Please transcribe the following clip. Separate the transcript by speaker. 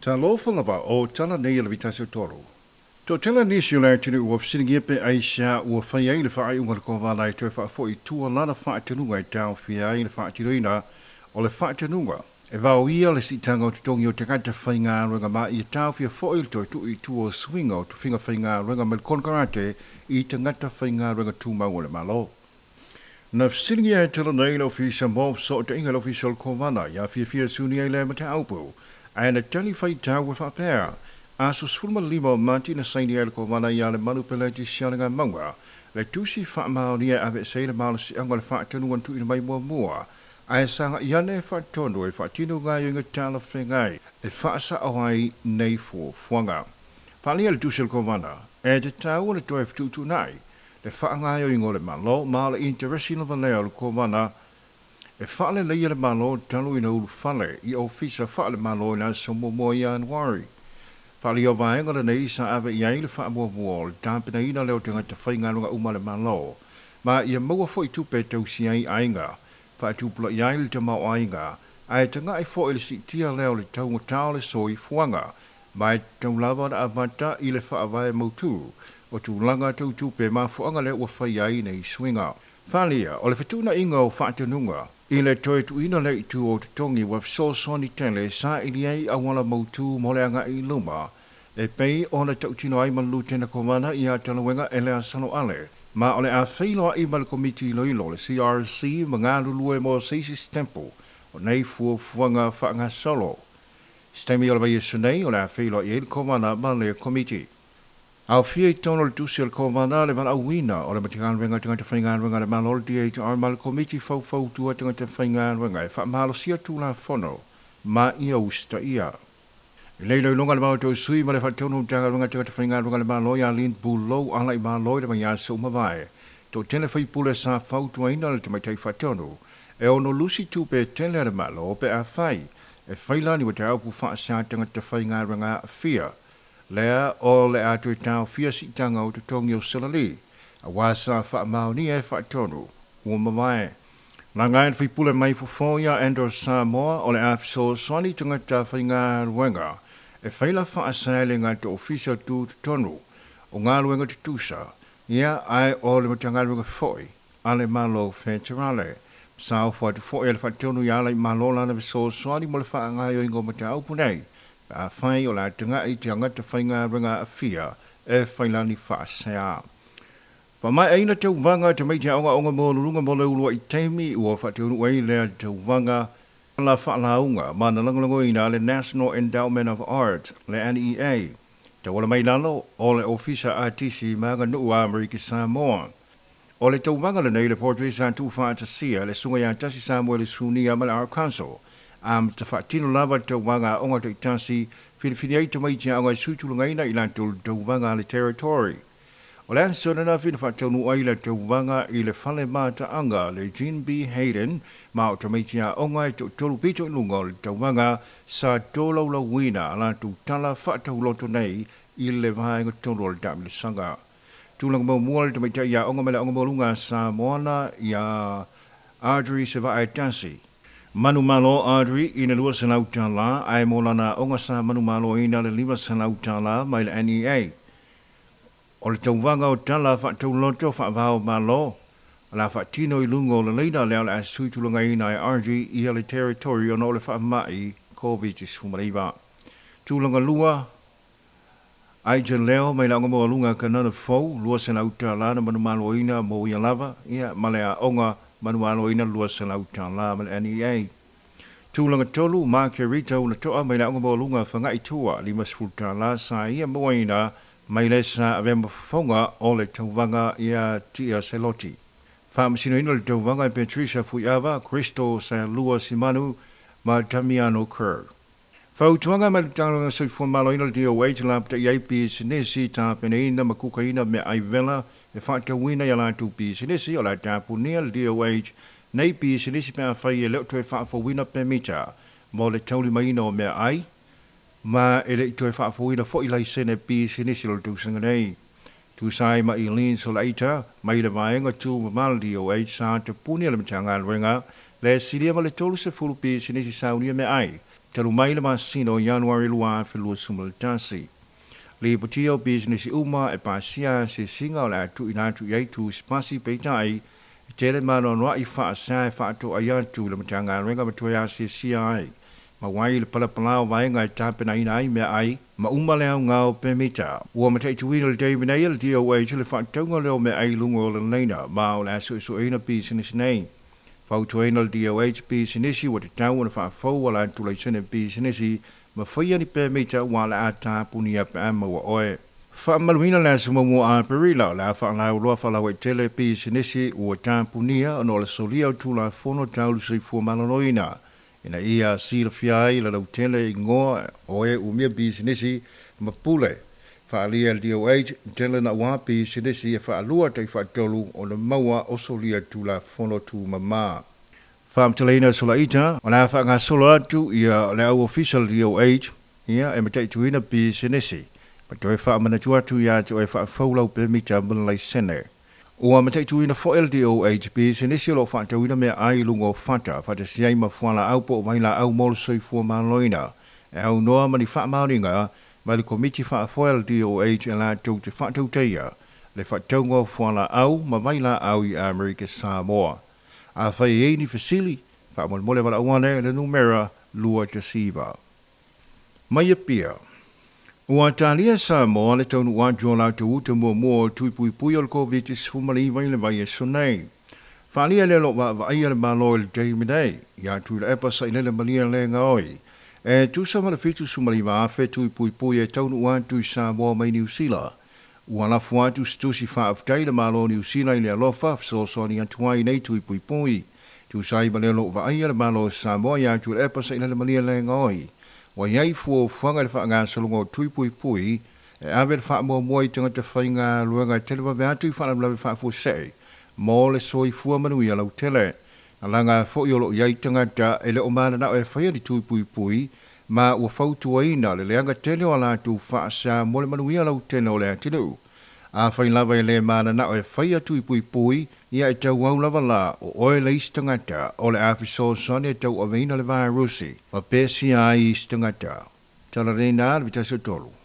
Speaker 1: Talofa lava o tala nei a le vitasi o tolu. Toatele nisi o le atunuu ua fesiligia pe aisea ua fai ai le faaiuga a le Kovana e toe faafoi i tua lana faatonuga e taofia ai le faatinoina o le faatonuga e vaoia le siitaga o totogi o tagata faigaluega ma ia taofia foi le toe tuu i tua o suiga o tofiga faigaluega ma le konekarate i tagata faigaluega tumau o le Malo. Na fesiligia e tala nei le Ofisa mo Fesootaiga le Ofisa o le Kovana ia fiafia suni ai lea mataupu ae na tali faitau e faapea aso 15 o Mati na saini ai le Kovana ia Lemanu Peleti Sialigamauga le tusi faamaonia e aveese ai le malosiaga o le faatonuga na tuuina mai muamua ae sagai ane e faatonu e faatino gaoioiga talafeagai e faasao ai nei fuafuaga. Faaalia le tusi a le Kovana e tatau ona toe fetuutuunai le faagaoioiga o le Malo ma o le interesi lava lea o le Kovana e faaleleia le Malo talu ina ulufale i ofisa faale-Malo i le aso 1 Ianuari. Faaalia o vaega lenei sa ave i ai le faamuamua o le tapenaina lea o tagata faigaluega uma a le Malo ma ia maua foi tupe e tausia ai aiga, faatupulaia ai le tamaoaiga ae tagai foi i le siitia lea o le taugata o le soifuaga ma e tatau lava ona amata i le faavae mautu o tulaga tau tupe mafuaaga lea ua fai ai nei suiga. Faaalia o le fetuunaiga o faatonuga i le toe tuuina lea i tua o totogi ua fesoasoani tele saili ai auala mautu mo le agai i luma e pei ona tautino ai ma le Lutena Kovana ia Talauega Eleasano Ale ma o le a feiloai ma le Komiti Iloilo le CRC ma galulue mo se isi setempo o nei fuafuaga faagasolo. Se taimi o le vaiaso nei o le a feiloai ai le Kovana ma le Komiti. Aofia i totonu o le tusi a le Kovana le valaauina o le Matagaluega o Tagata Faigaluega a le Malo le DHR ma le Komiti Faufautua Tagata Faigaluega e faamalosia Tulafono ma ia usitaia. I le iloiloga a le Maota o Sui ma le Faatonu o Matagaluega o Tagata Faigaluega a le Malo ia Lynn Bulou Alaaimalo i le vaiaso ua mavae, toatele faipule sa fautuaina le Tamaitai Faatonu e ono lusi tupe tele a le Malo pe afai e faila ni mataupu faasa tagata faigaluega aafia lea o le a toe taofia siitaga o totogi o salali aua sa faamaonia e faatonu ua mavae. Laga e le faipule mai Fofo ia Andrew Samoa o le a fesoasoani tagata faigaluega e faila faasa e le gata ofisa tutotonu o galuega tutusa ia ae o le Matagaluega foi a le Malo Feterale. Sa ofo atu foi e le faatonu ia Alaaimalo lana fesoasoani mo le faagaoioiga o mataupu nei pe afai o le a tagai tagata faigaluega aafia e failani faasea. Faamaeaina tauvaga tamaiti aoga maualuluga mo le uluai taimi ua faataunuu ai lea tauvaga la faalauga ma na lagolagoina le National Endowment of Arts le NEA tauala mai lalo o le Ofisa Atisi ma Aganuu a Amerika Samoa. O le tauvaga lenei le portrait sa tuufaatasia le susuga ia Tasi Samuele Sunia ma le Art Council amata faatino lava le tauvaga aoga taitasi filifili ai tamaiti aoga e suitulagaina i latou le tauvaga a le Territory. O le aso ananafi na faataunuu ai le tauvaga i le fale mataaga le Jean B. Hayden ma o tamaiti aoga e toatolu pito i luga o le tauvaga sa tolaulauina a latou tala faatauloto nei i le vaega tolu o le taamilosaga. Tulaga muamua le tamaitai aoga mai le Aoga Maualuga a Samoana ia Audrey Sevaaetasi. Manumalo Audrey i le $200 ae mo lana aoga sa manumaloina le $500 mai le NEA. O le tauvaga o tala faatauloto faavao malo o le a faatino i luga o le laina lea o le a suitulagaina e Audrey ia le Territory ona o le faamai Covid-19. Tulaga lua, Aija Leo mai le Aoga Maualuga Kanana Fou, $200 na manumaloina mo ia lava, ia ma le aoga manumaloina $200 ma le NEA. Tulaga tolu, Margarita Unatoa mai le Aoga Maualuga Faga'i Tua, $50 sa ia mauaina mai le sa avea ma fofoga o le tauvaga ia Tia Seloti. Faamasinoina le tauvaga e Patricia Fuiava, Crystal Salua Simanu ma Damiano Kerr. Fautuaga mai le Matagaluega Soifua Maloloina le DOH lapatai ai pisinisi tapenaina ma kukaina meaai vela e faatauina i a latou pisinisi o le a tapunia le DOH nei pisinisi pe afai e le o toe faafouina pemita mo le taulimaina o meaai ma e le i toe faafouina foi laisene pisinisi o le tausaga nei. Tusa ai ma Eileen Solaita mai le vaega tumama le DOH sa tapunia le Matagaluega le silia ma le 30 pisinisi saunia meaai Talu mai le masina o Ianuari 2021. Lipotia o pisinisi uma e pasia asiasiga o le a tuuina atu i ai tusipasi peitai e tele ma anoanoai faasā e faatoai atu i le Matagaluega ma toe asiasia ai. Ma uai le palapala o vaega e tapenaina ai meaai ma uma le aoga o pemita. Ua mataituina i le taimi nei e le DOH le faatatauga lea o meaai i luga o le laina ma o le a suesueina pisinisi nei. Fautuaina le DOH pisinisi ua tatau ona faafou a latou laisene pisinisi ma faia ni pemita ua le a tapunia pe a maua oe. Faamaluina le aso 1 o Aperila o le a faalauiloa faalauaitele pisinisi ua tapunia ona o le solia o Tulafono Tau le Soifua Maloloina ina ia silafia ai le lautele igoa o e umia pisinisi ma pule. Faaalia e le DOH tele naua pisinisi e faalua tai faatolu ona maua o solia Tulafono Tumama. Faamatalaina solaita o le a faagasolo atu ia le au ofisa o le DOH ia e mataituina pisinisi ma toe faamanatu atu ia te oe faafou lau pemita ma le laisene. Ua mataituina foi e le DOH pisinisi o lo o faatauina meaai i luga o fata faatasi ai ma fualaau po o vailaau mo le soifua maloloina e aunoa ma ni faamaoniga mai le Komiti Faafoe a le DOH e latou te faatautaia le faatauga o fualaau ma vailaau i Amerika Samoa. Afai e i ai ni fesili, faamolemole valaau ane i le numera 219. Mai Apia. Ua talia e Samoa le taunuu atu o latou uta muamua o tui puipui o le Koviti-19 i le vaiaso nei. Faaalia lea o lo o vaavaaia le Malo i le taimi nei, ia Tuilaepa Sailele Malielegaoi, e tusa ma le 79,000 tui puipui e taunuu atu i Samoa mai Niu Sila. Ua lafo atu se tusi faafetai i le Malo o Niu Sila i le alofa fesoasoani atu ai i nei tui puipui. Tusa ai ma lea o lo o vaaia le Malo o Samoa ia Tuilaepa Sailele Malielegaoi, ua i ai fuafuaga i le faagasologa o tui puipui e ave le faamuamua i tagata faigaluega e televave atu i faalavelave faafuasei mo le soifua manuia lautele. Na laga foi o lo o i ai tagata e le o mananao e faia ni tui puipui ma ua fautuaina le leaga tele o a latou faasa mo le manuia lautele o le atunuu. Afai lava e le mananao e faia tui puipui, ia e tauau lava la o oe le isi tagata o le a fesoasoani e tauaveina le vairusi ma pesia ai isi tagata. Tala lena le 13.